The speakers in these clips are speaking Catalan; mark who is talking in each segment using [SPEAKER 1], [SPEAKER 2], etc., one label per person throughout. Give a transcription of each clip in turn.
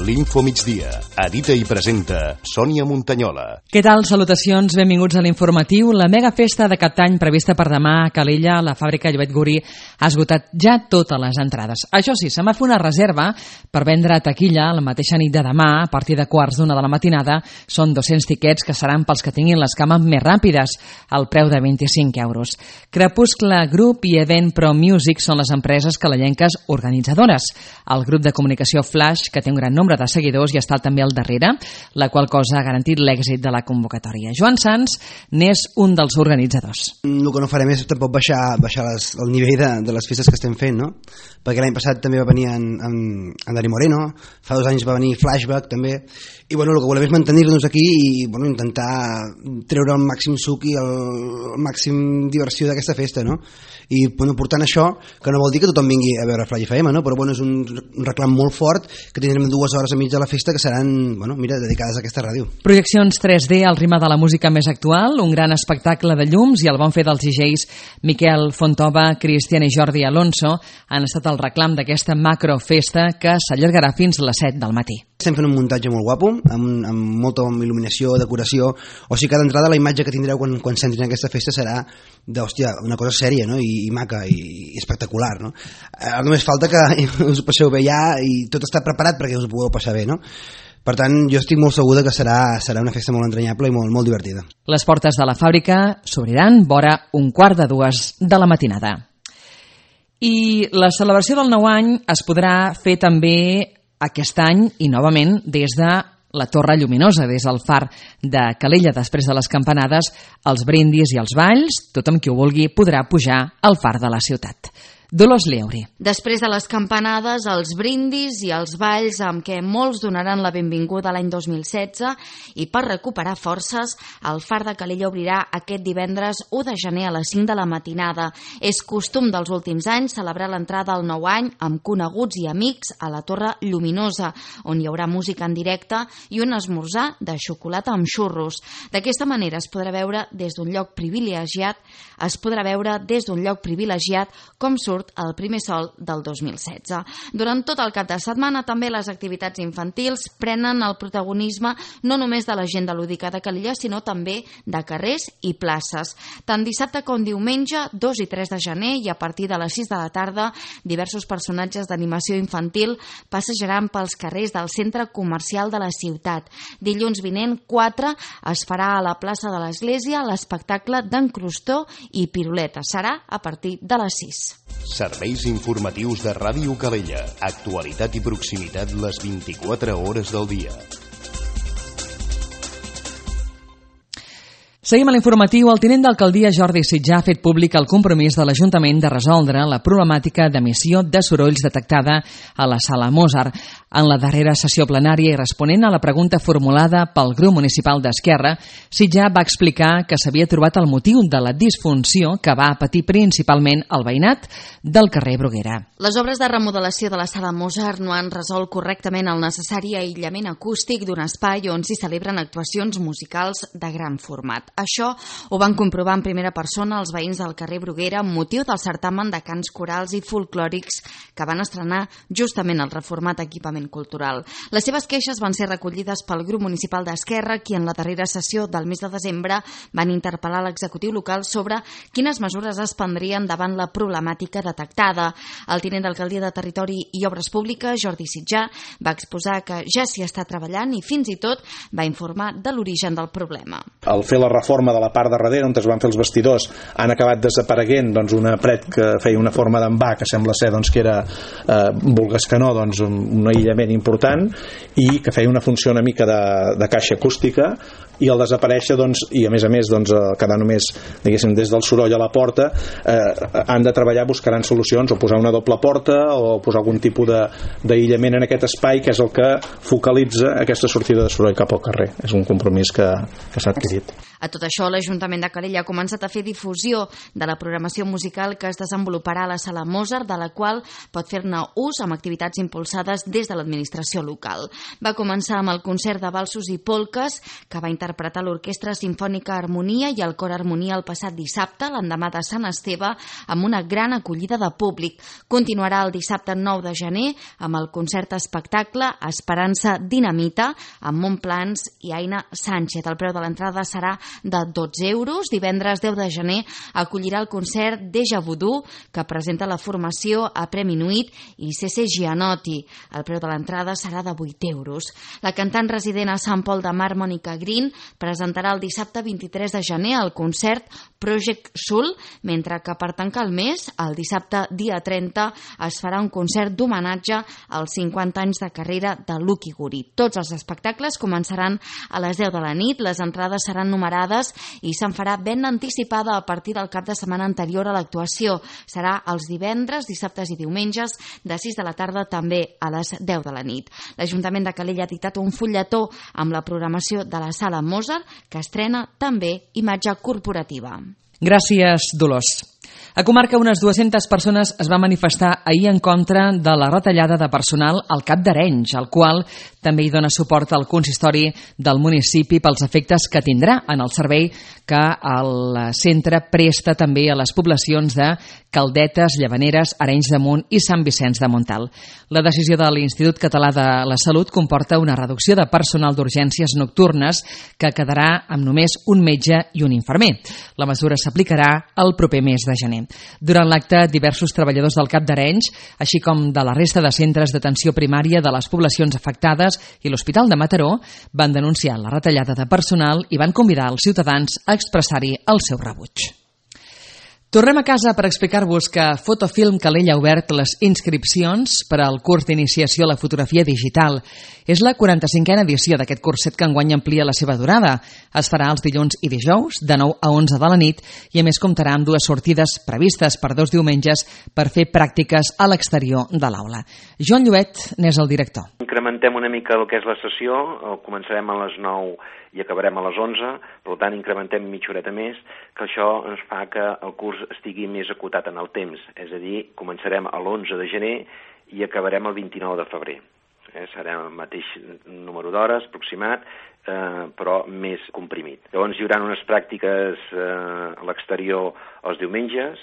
[SPEAKER 1] L'Info Migdia. Edita i presenta Sònia Montanyola.
[SPEAKER 2] Què tal? Salutacions, benvinguts a l'informatiu. La mega festa de cap d'any prevista per demà a Calella, la fàbrica Llobet Gurí, ha esgotat ja totes les entrades. Això sí, se m'ha fet una reserva per vendre a taquilla la mateixa nit de demà, a partir de 1:15 de la matinada. Són 200 tiquets que seran pels que tinguin les cames més ràpides, al preu de 25 euros. Crepuscle Group i Event Pro Music són les empreses calellenques organitzadores. El grup de comunicació Flash, que té un gran nombre de seguidors i està també al darrere, la qual cosa ha garantit l'èxit de la convocatòria. Joan Sans n'és un dels organitzadors.
[SPEAKER 3] El que no farem és tampoc baixar el nivell de les festes que estem fent, no? Perquè l'any passat també va venir en Dani Moreno, fa 2 anys va venir Flashback també, i bueno, el que volem és mantenir-nos aquí i bueno, intentar treure el màxim suc i el màxim diversió d'aquesta festa, no? I bueno, portant això, que no vol dir que tothom vingui a veure Flash FM, no? Però bueno, és un reclam molt fort, que tindrem 2 hores a mig de la festa que seran, bueno, mira, dedicades a aquesta ràdio.
[SPEAKER 2] Projeccions 3D al ritme de la música més actual, un gran espectacle de llums i el bon fer dels DJs Miquel Fontova, Cristian i Jordi Alonso han estat el reclam d'aquesta macrofesta que s'allargarà fins a les 7 del matí.
[SPEAKER 3] Estem fent un muntatge molt guapo, amb molta il·luminació, decoració, o sigui, cada entrada la imatge que tindreu quan s'entrin en aquesta festa serà d'hòstia, una cosa sèria, no? I maca i espectacular, no? Només falta que us ho passeu bé ja i tot està preparat perquè us ho pugueu passar bé, no? Per tant, jo estic molt segur que serà una festa molt entranyable i molt divertida.
[SPEAKER 2] Les portes de la fàbrica s'obriran vora 1:15 de la matinada. I la celebració del nou any es podrà fer també aquest any i novament des de la Torre Lluminosa, des del far de Calella. Després de les campanades, els brindis i els balls, tothom qui ho vulgui podrà pujar al far de la ciutat. Dolors Lieuri.
[SPEAKER 4] Després de les campanades, els brindis i els balls amb què molts donaran la benvinguda a l'any 2016 i per recuperar forces, el far de Calella obrirà aquest divendres 1 de gener a les 5 de la matinada. És costum dels últims anys celebrar l'entrada al nou any amb coneguts i amics a la Torre Lluminosa, on hi haurà música en directe i un esmorzar de xocolata amb xurros. D'aquesta manera es podrà veure des d'un lloc privilegiat com surt el primer sol del 2016. Durant tot el cap de setmana també les activitats infantils prenen el protagonisme no només de l'agenda lúdica de Calella, sinó també de carrers i places. Tant dissabte com diumenge, 2 i 3 de gener, i a partir de les 6 de la tarda, diversos personatges d'animació infantil passejaran pels carrers del centre comercial de la ciutat. Dilluns vinent, 4, es farà a la plaça de l'Església l'espectacle d'en Crostó i Piruleta. Serà a partir de les 6.
[SPEAKER 1] Serveis informatius de Ràdio Calella. Actualitat i proximitat les 24 hores del dia.
[SPEAKER 2] Seguim a l'informatiu. El tinent d'alcaldia Jordi Sitjà ha fet públic el compromís de l'Ajuntament de resoldre la problemàtica d'emissió de sorolls detectada a la sala Mozart. En la darrera sessió plenària i responent a la pregunta formulada pel grup municipal d'Esquerra, Sitjà va explicar que s'havia trobat el motiu de la disfunció que va patir principalment el veïnat del carrer Bruguera.
[SPEAKER 4] Les obres de remodelació de la sala Mozart no han resolt correctament el necessari aïllament acústic d'un espai on s'hi celebren actuacions musicals de gran format. Això ho van comprovar en primera persona els veïns del carrer Bruguera amb motiu del certamen de cants corals i folclòrics que van estrenar justament el reformat equipament cultural. Les seves queixes van ser recollides pel grup municipal d'Esquerra, qui en la darrera sessió del mes de desembre van interpel·lar l'executiu local sobre quines mesures es prendrien davant la problemàtica detectada. El tinent d'alcaldia de Territori i Obres Públiques, Jordi Sitjà, va exposar que ja s'hi està treballant i fins i tot va informar de l'origen del problema.
[SPEAKER 5] Al fer la reforma de la part de darrere, on es van fer els vestidors, han acabat desapareguent una paret que feia una forma d'envà, que sembla ser que era, vulgues que no, un aïllament important, i que feia una funció una mica de caixa acústica, i al desaparèixer i a més quedar només diguéssim des del soroll a la porta, han de treballar, buscaran solucions o posar una doble porta o posar algun tipus d'aïllament en aquest espai, que és el que focalitza aquesta sortida de soroll cap al carrer. És un compromís que s'ha adquirit.
[SPEAKER 4] A tot això, l'Ajuntament de Calella ha començat a fer difusió de la programació musical que es desenvoluparà a la Sala Mozart, de la qual pot fer-ne ús amb activitats impulsades des de l'administració local. Va començar amb el concert de valsos i polques que va interpretar l'Orquestra Simfònica Harmonia i el Cor Harmonia el passat dissabte, l'endemà de Sant Esteve, amb una gran acollida de públic. Continuarà el dissabte 9 de gener amb el concert espectacle Esperança Dinamita amb Montplans i Aina Sánchez. El preu de l'entrada serà de 12 euros. Divendres 10 de gener acollirà el concert Deja Voodoo, que presenta la formació a Premi Nuit i C.C. Gianotti. El preu de l'entrada serà de 8 euros. La cantant resident a Sant Pol de Mar, Mònica Green, presentarà el dissabte 23 de gener el concert Project Soul, mentre que per tancar el mes, el dissabte dia 30, es farà un concert d'homenatge als 50 anys de carrera de Lucky Guri. Tots els espectacles començaran a les 10 de la nit, les entrades seran numerades i se'n farà venda anticipada a partir del cap de setmana anterior a l'actuació. Serà els divendres, dissabtes i diumenges de 6 de la tarda, també a les 10 de la nit. L'Ajuntament de Calella ha dictat un fulletó amb la programació de la Sala Mozart, que estrena també imatge corporativa.
[SPEAKER 2] Gràcies, Dolors. A Comarca, unes 200 persones es van manifestar ahir en contra de la retallada de personal al CAP d'Arenys, al qual també hi dona suport al consistori del municipi pels efectes que tindrà en el servei que el centre presta també a les poblacions de Caldetes, Llavaneres, Arenys de Munt i Sant Vicenç de Montalt. La decisió de l'Institut Català de la Salut comporta una reducció de personal d'urgències nocturnes que quedarà amb només un metge i un infermer. La mesura s'aplicarà el proper mes de gener. Durant l'acte, diversos treballadors del CAP d'Arenys, així com de la resta de centres d'atenció primària de les poblacions afectades i l'Hospital de Mataró, van denunciar la retallada de personal i van convidar els ciutadans a expressar-hi el seu rebuig. Tornem a casa per explicar-vos que Fotofilm Calella ha obert les inscripcions per al curs d'iniciació a la fotografia digital. És la 45a edició d'aquest curset que enguany amplia la seva durada. Es farà els dilluns i dijous, de 9 a 11 de la nit, i a més comptarà amb 2 sortides previstes per 2 diumenges per fer pràctiques a l'exterior de l'aula. Joan Lluet n'és el director.
[SPEAKER 6] Incrementem una mica el que és la sessió, començarem a les 9 i acabarem a les 11, per tant incrementem mitja horeta més, que això ens fa que el curs estigui més acotat en el temps, és a dir, començarem a l'11 de gener i acabarem el 29 de febrer. Serà el mateix número d'hores aproximat, però més comprimit. Llavors hi haurà unes pràctiques a l'exterior els diumenges,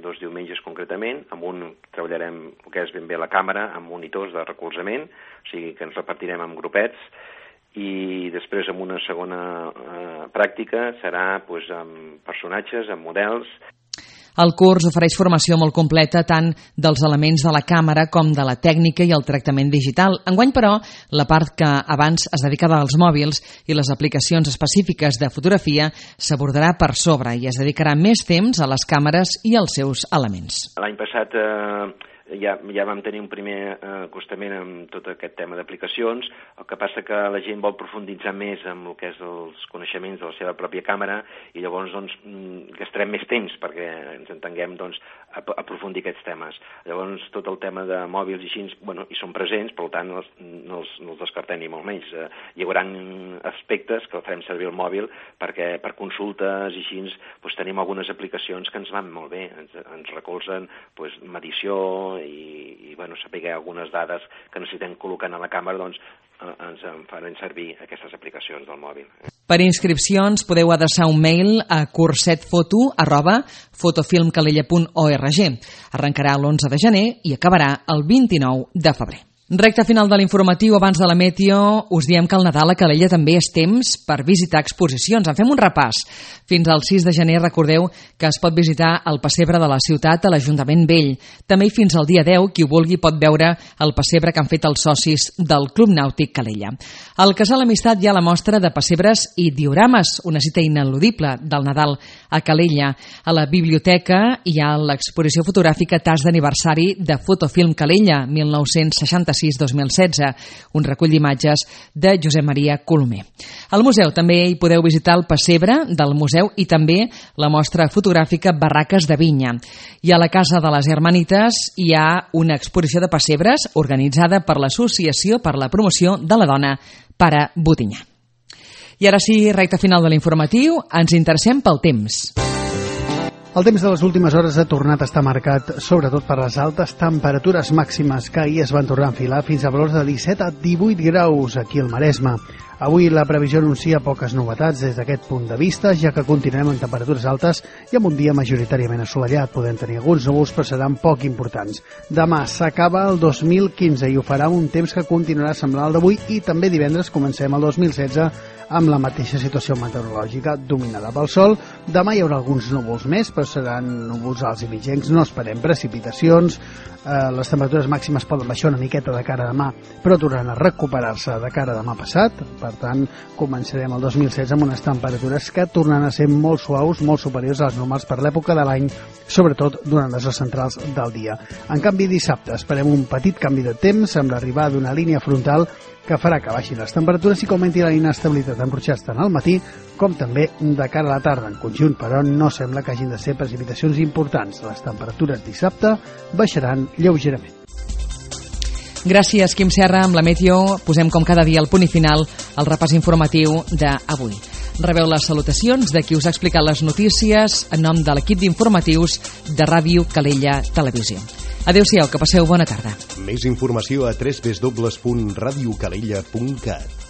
[SPEAKER 6] 2 diumenges concretament, amb un treballarem el que és ben bé la càmera, amb monitors de recolzament, o sigui que ens repartirem en grupets, i després amb una segona pràctica serà doncs, amb personatges, amb models.
[SPEAKER 2] El curs ofereix formació molt completa tant dels elements de la càmera com de la tècnica i el tractament digital. Enguany, però, la part que abans es dedicava als mòbils i les aplicacions específiques de fotografia s'abordarà per sobre i es dedicarà més temps a les càmeres i als seus elements.
[SPEAKER 6] L'any passat ja vam tenir un primer acostament amb tot aquest tema d'aplicacions, el que passa que la gent vol profunditzar més en el que és els coneixements de la seva pròpia càmera i llavors gastarem més temps perquè ens entenguem a aprofundir aquests temes. Llavors tot el tema de mòbils i així, hi són presents, per tant no els descartem ni molt menys. Hi haurà aspectes que farem servir el mòbil perquè per consultes i així tenim algunes aplicacions que ens van molt bé, ens recolzen medició i saber algunes dades que necessitem col·locar a la càmera, ens faran servir aquestes aplicacions del mòbil.
[SPEAKER 2] Per inscripcions podeu adreçar un mail a cursetfoto@fotofilmcalella.org. Arrencarà l'11 de gener i acabarà el 29 de febrer. Recte final de l'informatiu, abans de la meteo, us diem que el Nadal a Calella també és temps per visitar exposicions. En fem un repàs. Fins al 6 de gener recordeu que es pot visitar el pessebre de la ciutat a l'Ajuntament Vell. També fins al dia 10, qui ho vulgui pot veure el pessebre que han fet els socis del Club Nàutic Calella. Al Casal Amistat hi ha la mostra de pessebres i diorames, una cita ineludible del Nadal a Calella. A la biblioteca hi ha l'exposició fotogràfica Tas d'aniversari de Fotofilm Calella, 1966-2016, un recull d'imatges de Josep Maria Colomer. Al museu també hi podeu visitar el pessebre del museu i també la mostra fotogràfica Barraques de Vinya. I a la Casa de les Hermanites hi ha una exposició de pessebres organitzada per l'Associació per la Promoció de la Dona Pare Botinyà. I ara sí, recta final de l'informatiu, ens interessem pel temps.
[SPEAKER 7] El temps de les últimes hores ha tornat a estar marcat sobretot per les altes temperatures màximes que ahir es van tornar a enfilar fins a valors de 17 a 18 graus aquí al Maresme. Avui la previsió anuncia poques novetats des d'aquest punt de vista, ja que continuem en temperatures altes i amb un dia majoritàriament assolellat. Podem tenir alguns núvols, però seran poc importants. Demà s'acaba el 2015 i ho farà un temps que continuarà semblant al d'avui, i també divendres comencem el 2016 amb la mateixa situació meteorològica dominada pel sol. Demà hi haurà alguns núvols més, però seran núvols alts i mitjans, no esperem precipitacions. Les temperatures màximes poden baixar una miqueta de cara a demà, però tornaran a recuperar-se de cara a demà passat. Per tant, començarem el 2016 amb unes temperatures que tornaran a ser molt suaus, molt superiors a les normals per l'època de l'any, sobretot durant les hores centrals del dia. En canvi, dissabte esperem un petit canvi de temps amb l'arribada d'una línia frontal que farà que baixin les temperatures i que augmenti la inestabilitat en ruixats tant al matí com també de cara a la tarda. En conjunt, però, no sembla que hagin de ser precipitacions importants. Les temperatures dissabte baixaran lleugerament.
[SPEAKER 2] Gràcies, Quim Serra. Amb la Meteo posem com cada dia el punt i final al repàs informatiu d'avui. Rebeu les salutacions de qui us ha explicat les notícies en nom de l'equip d'informatius de Ràdio Calella Televisió. Adéu-siau, que passeu bona tarda.
[SPEAKER 1] Més informació a www.radiocalella.cat.